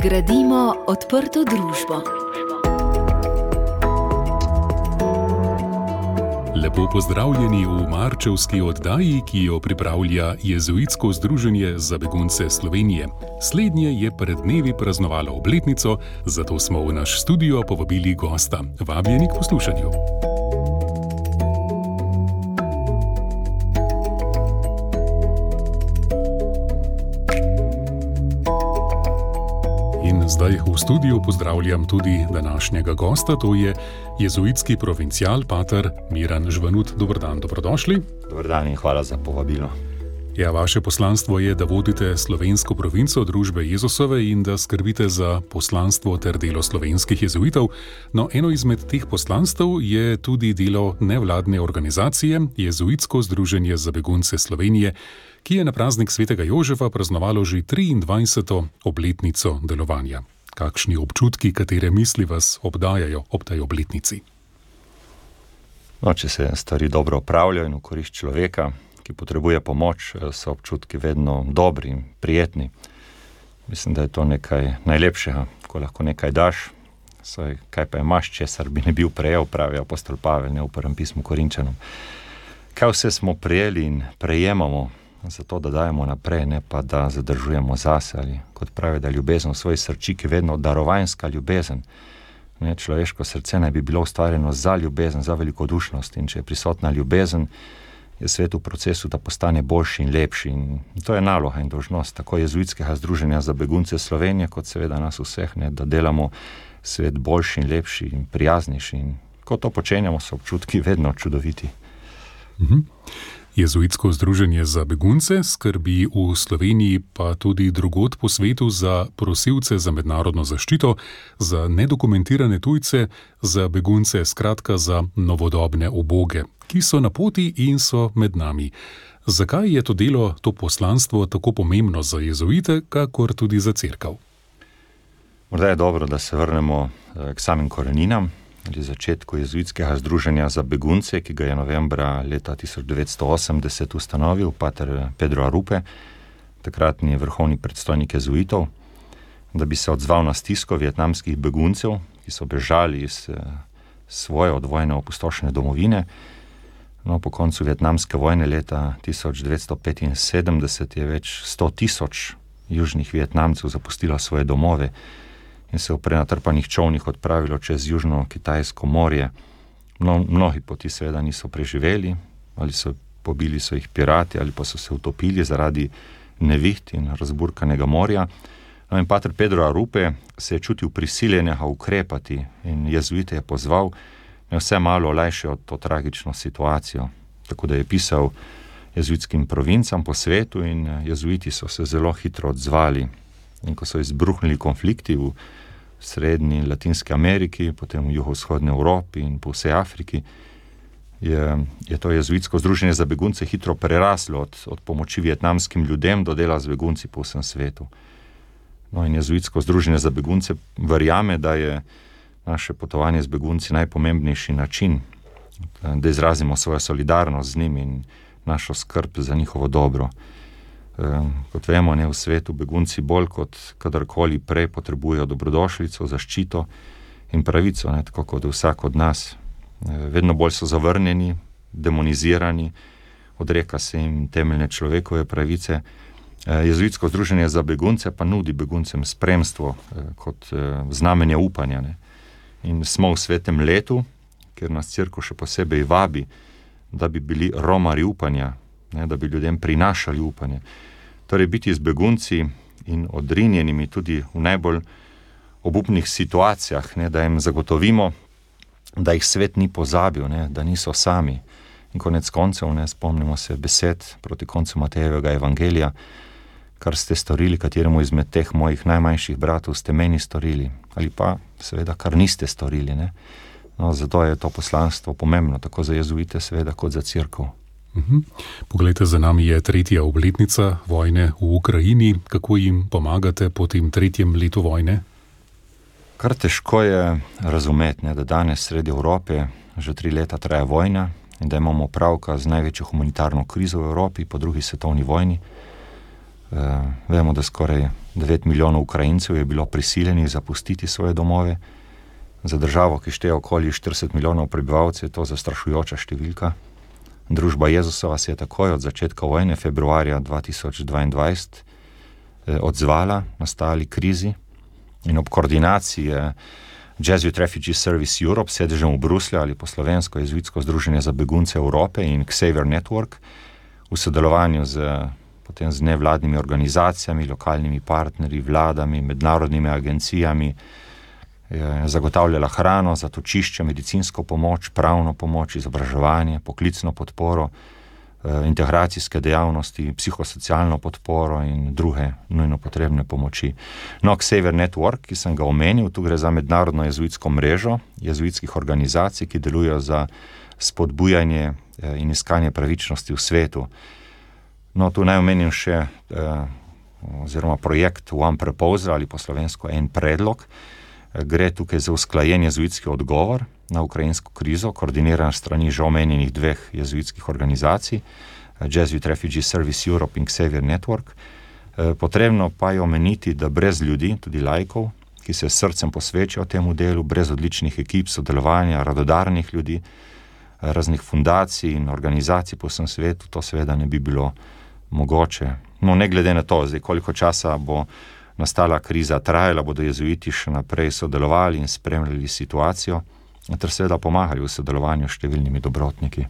Gradimo odprto družbo. Lepo pozdravljeni v marčevski oddaji, ki jo pripravlja Jezuitsko združenje za begunce Slovenije. Slednje je pred dnevi praznovalo obletnico, zato smo v naš studio povabili gosta. Vabljeni k poslušanju. Zdaj v studiu pozdravljam tudi današnjega gosta, to je jezuitski provincial, pater Miran Žvanut. Dober dan, dobrodošli. Dober dan in hvala za povabilo. Ja, vaše poslanstvo je, da vodite slovensko provinco družbe Jezusove in da skrbite za poslanstvo ter delo slovenskih jezuitov. No, eno izmed teh poslanstv je tudi delo nevladne organizacije Jezuitsko združenje za begunce Slovenije, ki je na praznik svetega Jožefa praznovalo že 23. obletnico delovanja. Kakšni občutki, katere misli vas obdajajo ob tej obletnici? No, če se stvari dobro opravljajo in v korist človeka, ki potrebuje pomoč, so občutki vedno dobri in prijetni. Mislim, da je to nekaj najlepšega, ko lahko nekaj daš. Saj, kaj pa imaš, česar bi ne bil prejel, pravi apostol Pavel, ne v prvem pismu Korinčanom. Kaj vse smo prejeli in prejemamo, zato da dajemo naprej, ne pa da zadržujemo zase, ali kot pravi, da ljubezen v svoji srčiki vedno darovanjska ljubezen. Ne, človeško srce naj bi bilo ustvarjeno za ljubezen, za velikodušnost, in če je prisotna ljubezen, je svet v procesu, da postane boljši in lepši. In to je naloga in dolžnost tako Jezuitskega združenja za begunce Slovenije, kot seveda nas vseh, ne, da delamo svet boljši in lepši in prijaznejši. In ko to počenjamo, so občutki vedno čudoviti. Jezuitsko združenje za begunce skrbi v Sloveniji pa tudi drugod po svetu za prosilce za mednarodno zaščito, za nedokumentirane tujce, za begunce, skratka za novodobne uboge, ki so na poti in so med nami. Zakaj je to delo, to poslanstvo tako pomembno za jezuite, kakor tudi za cerkev? Morda je dobro, da se vrnemo k samim koreninam, ali začetku Jezuitskega združenja za begunce, ki ga je novembra leta 1980 ustanovil pater Pedro Arupe, takratni vrhovni predstojnik jezuitov, da bi se odzval na stisko vietnamskih beguncev, ki so bežali iz svoje od vojne opustošene domovine. No, po koncu vietnamske vojne leta 1975 je več 100,000 južnih Vietnamcev zapustilo svoje domove in se v prenatrpanih čolnih odpravilo čez južno Kitajsko morje. Mnogi poti seveda niso preživeli, ali pobili so jih pirati, ali pa so se utopili zaradi neviht in razburkanega morja. No, in pater Pedro Arupe se je čutil prisiljenega ukrepati in jezuite je pozval, da vse malo olajšajo to tragično situacijo. Tako da je pisal jezuitskim provincam po svetu in jezuiti so se zelo hitro odzvali. In ko so izbruhnili konflikti v Srednji in Latinski Ameriki, potem v jugovzhodni Evropi in po vsej Afriki, je to jezuitsko združenje za begunce hitro preraslo od pomoči vietnamskim ljudem do dela z begunci po vsem svetu. No, in jezuitsko združenje za begunce verjame, da je naše potovanje z begunci najpomembnejši način, da izrazimo svojo solidarnost z njimi in našo skrb za njihovo dobro. Kot vemo, ne, v svetu begunci bolj kot kadarkoli prej potrebujejo dobrodošlico, zaščito in pravico, ne, tako kot vsak od nas. Vedno bolj so zavrnjeni, demonizirani, odreka se jim temeljne človekove pravice. Jezuitsko združenje za begunce pa nudi beguncem spremstvo kot znamenje upanja. Ne. In smo v svetem letu, kjer nas cerkev še posebej vabi, da bi bili romarji upanja, ne, da bi ljudem prinašali upanje. Torej biti z begunci in odrinjenimi tudi v najbolj obupnih situacijah, ne, da jim zagotovimo, da jih svet ni pozabil, ne, da niso sami. In konec koncev, ne, spomnimo se besed proti koncu Matejevega evangelija, kar ste storili kateremu izmed teh mojih najmanjših bratov, ste meni storili, ali pa seveda kar niste storili. Ne. No, zato je to poslanstvo pomembno, tako za jezuite seveda kot za cerkev. Poglejte, za nami je 3. obletnica vojne v Ukrajini. Kako jim pomagate po tem 3. letu vojne? Kar težko je razumeti, ne, da danes sredi Evrope že 3 leta traja vojna in da imamo opravka z največjo humanitarno krizo v Evropi po 2. svetovni vojni. Vemo, da skoraj 9 milijonov Ukrajincev je bilo prisiljenih zapustiti svoje domove. Za državo, ki šteje okoli 40 milijonov prebivalcev, je to zastrašujoča številka. Družba Jezusova se je takoj od začetka vojne, februarja 2022, odzvala nastali krizi in ob koordinaciji Jesuit Refugee Service Europe, sedežem v Bruslju ali po slovensko Jezuitsko združenje za begunce Evrope in Xavier Network, v sodelovanju potem z nevladnimi organizacijami, lokalnimi partnerji, vladami, mednarodnimi agencijami, je zagotavljala hrano, zatočišče, medicinsko pomoč, pravno pomoč, izobraževanje, poklicno podporo, integracijske dejavnosti, psihosocialno podporo in druge nujno potrebne pomoči. No, Xavier Network, ki sem ga omenil, tu gre za mednarodno jezuitsko mrežo jezuitskih organizacij, ki delujejo za spodbujanje in iskanje pravičnosti v svetu. No, tu naj omenim še oziroma projekt One Proposal ali po slovensko En predlog. Gre tukaj za usklajen jezuitski odgovor na ukrajinsko krizo, koordiniran strani že omenjenih dveh jezuitskih organizacij, Jesuit Refugee Service Europe in Xavier Network. Potrebno pa je omeniti, da brez ljudi, tudi laikov, ki se s srcem posvečajo temu delu, brez odličnih ekip sodelovanja, radodarnih ljudi, raznih fundacij in organizacij po vsem svetu, to seveda ne bi bilo mogoče. No, ne glede na to, zdaj koliko časa bo nastala kriza trajala, bodo jezuiti še naprej sodelovali in spremljali situacijo, ter seveda pomagali v sodelovanju s številnimi dobrotniki.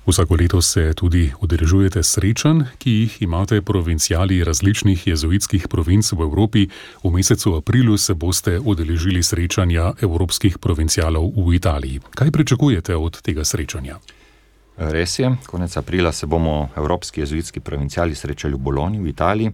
Vsako leto se tudi udeležujete srečanj, ki jih imate provinciali različnih jezuitskih provinc v Evropi. V mesecu aprilu se boste udeležili srečanja evropskih provincialov v Italiji. Kaj pričakujete od tega srečanja? Res je, konec aprila se bomo evropski jezuitski provinciali srečali v Bologni v Italiji.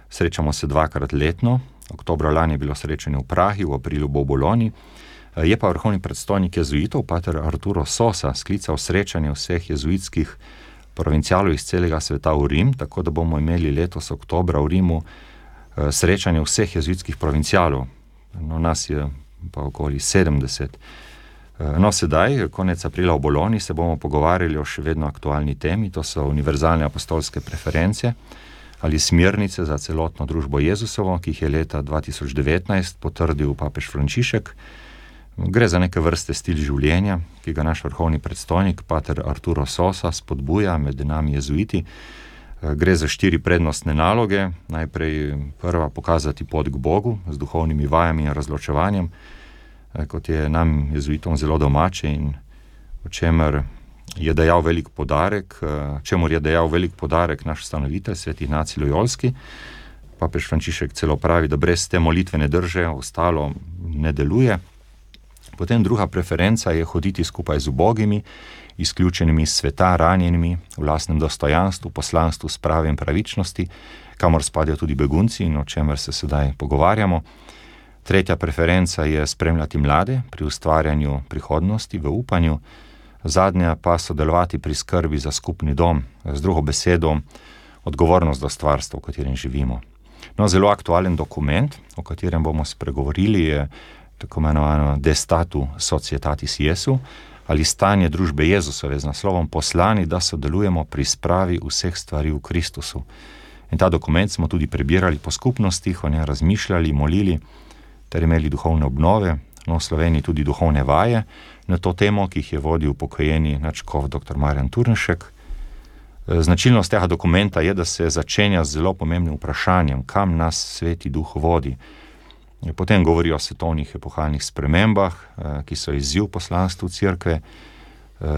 Srečamo se 2-krat letno. Oktobra lani je bilo srečanje v Prahi, v aprilu bo v Bologni. Je pa vrhovni predstojnik jezuitov, pater Arturo Sosa, sklical srečanje vseh jezuitskih provincialov iz celega sveta v Rim, tako da bomo imeli letos oktobra v Rimu srečanje vseh jezuitskih provincialov. No, nas je pa okoli 70. No, sedaj, konec aprila v Bologni, se bomo pogovarjali o še vedno aktualni temi, to so univerzalne apostolske preference ali smernice za celotno družbo Jezusovo, ki jih je leta 2019 potrdil papež Frančišek. Gre za neke vrste stil življenja, ki ga naš vrhovni predstojnik, pater Arturo Sosa, spodbuja med nami jezuiti. Gre za 4 prednostne naloge. Najprej prva, pokazati pot k Bogu z duhovnimi vajami in razločevanjem, kot je nam jezuitom zelo domače in o čemer je dejal velik podarek, čemur je dejal velik podarek naš ustanovitelj, svet Ignacij Lojolski. Papež Frančišek celo pravi, da brez te molitvene drže ostalo ne deluje. Potem druga preferenca je hoditi skupaj z ubogimi, izključenimi iz sveta, ranjenimi, v lastnem dostojanstvu, poslanstvu, spravi in pravičnosti, kamor spadajo tudi begunci in o čemer se sedaj pogovarjamo. Tretja preferenca je spremljati mlade pri ustvarjanju prihodnosti v upanju. Zadnja pa sodelovati pri skrbi za skupni dom, z drugo besedo odgovornost do stvarstva, v katerem živimo. No, zelo aktualen dokument, o katerem bomo spregovorili, je tako imenovano De Statu Societatis Jesu, ali stanje družbe Jezusove, z naslovom Poslani, da sodelujemo pri spravi vseh stvari v Kristusu. In ta dokument smo tudi prebirali po skupnostih, o njem razmišljali, molili, ter imeli duhovne obnove, no v Sloveniji tudi duhovne vaje na to temo, ki jih je vodil pokojeni nadškof dr. Marjan Turnšek. Značilnost tega dokumenta je, da se začenja z zelo pomembnim vprašanjem, kam nas Sveti Duh vodi. Potem govori o svetovnih epohalnih spremembah, ki so izziv poslanstvu Cerkve.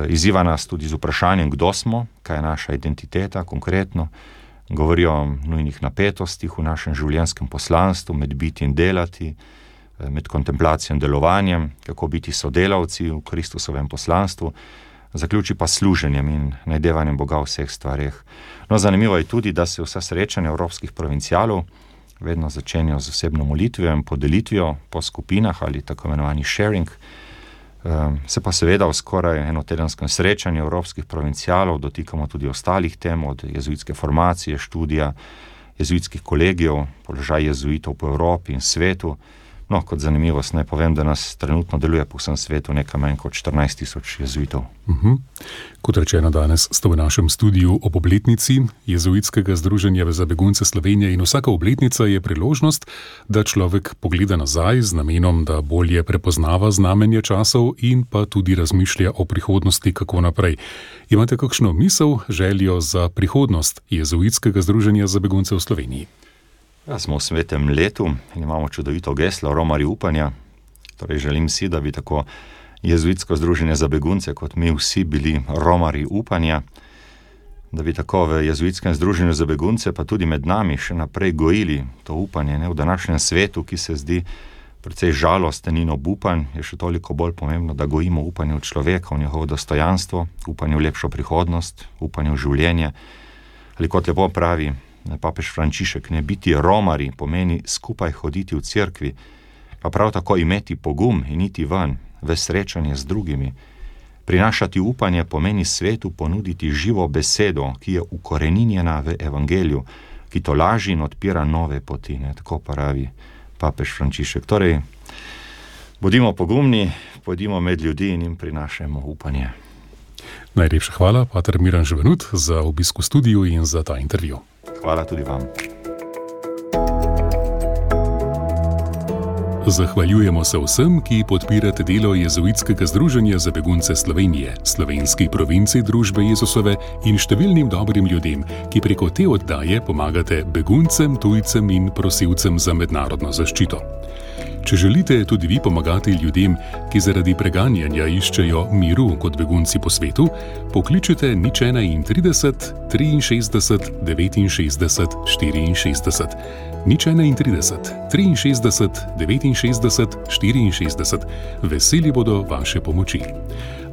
Izziva nas tudi z vprašanjem, kdo smo, kaj je naša identiteta konkretno. Govori o nujnih napetostih v našem življenjskem poslanstvu, med biti in delati, med kontemplacijo in delovanjem, kako biti sodelavci v Kristusovem poslanstvu, zaključi pa služenjem in najdevanjem Boga v vseh stvareh. No, zanimivo je tudi, da se vsa srečanja evropskih provincialov vedno začenjajo z osebno molitvijo in podelitvijo po skupinah ali tako imenovani sharing. Se pa seveda v skoraj enotedenskem srečanju evropskih provincialov dotikamo tudi ostalih tem, od jezuitske formacije, študija, jezuitskih kolegijev, položaj jezuitov po Evropi in svetu, No, kot zanimivost naj povem, da nas trenutno deluje po vsem svetu nekaj manj kot 14,000 jezuitov. Kot rečeno, danes ste v našem studiu ob obletnici Jezuitskega združenja za begunce Slovenije in vsaka obletnica je priložnost, da človek pogleda nazaj z namenom, da bolje prepoznava znamenje časov in pa tudi razmišlja o prihodnosti, kako naprej. Imate kakšno misel, željo za prihodnost Jezuitskega združenja za begunce v Sloveniji? Ja, smo v svetem letu in imamo čudovito geslo Romarji upanja. Torej želim si, da bi tako Jezuitsko združenje za begunce kot mi vsi bili romarji upanja, da bi tako v Jezuitskem združenju za begunce pa tudi med nami še naprej gojili to upanje. V današnjem svetu, ki se zdi precej žalosten in obupan, je še toliko bolj pomembno, da gojimo upanje v človeka, v njegovo dostojanstvo, upanje v lepšo prihodnost, upanje v življenje. Ali kot lepo pravi papež Frančišek, ne biti romarji pomeni skupaj hoditi v cerkvi, pa prav tako imeti pogum in iti ven, v srečanje z drugimi. Prinašati upanje pomeni svetu ponuditi živo besedo, ki je ukoreninjena v evangeliju, ki tolaži in odpira nove poti, tako pravi papež Frančišek. Torej, bodimo pogumni, pojdimo med ljudi in jim prinašajmo upanje. Najlepša hvala, pater Miran Živanut, za obisk v studiu in za ta intervju. Hvala tudi vam. Zahvaljujemo se vsem, ki podpirate delo Jezuitskega združenja za begunce Slovenije, slovenski provinci Družbe Jezusove in številnim dobrim ljudem, ki preko te oddaje pomagate beguncem, tujcem in prosilcem za mednarodno zaščito. Če želite tudi vi pomagati ljudem, ki zaradi preganjanja iščejo miru kot begunci po svetu, pokličite 031 63 69 64. 031 63 69 64. Veseli bodo vaše pomoči.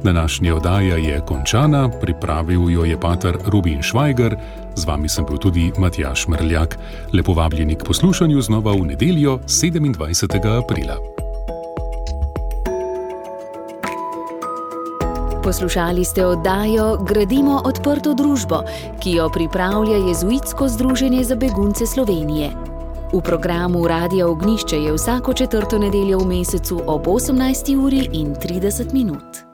Današnja oddaja je končana, pripravil jo je pater Robin Švajger, z vami sem bil tudi Matjaž Mrljak. Lepo vabljeni k poslušanju znova v nedeljo 27. aprila. Poslušali ste oddajo Gradimo odprto družbo, ki jo pripravlja Jezuitsko združenje za begunce Slovenije. V programu Radia Ognjišče je vsako četrto nedeljo v mesecu ob 18:30.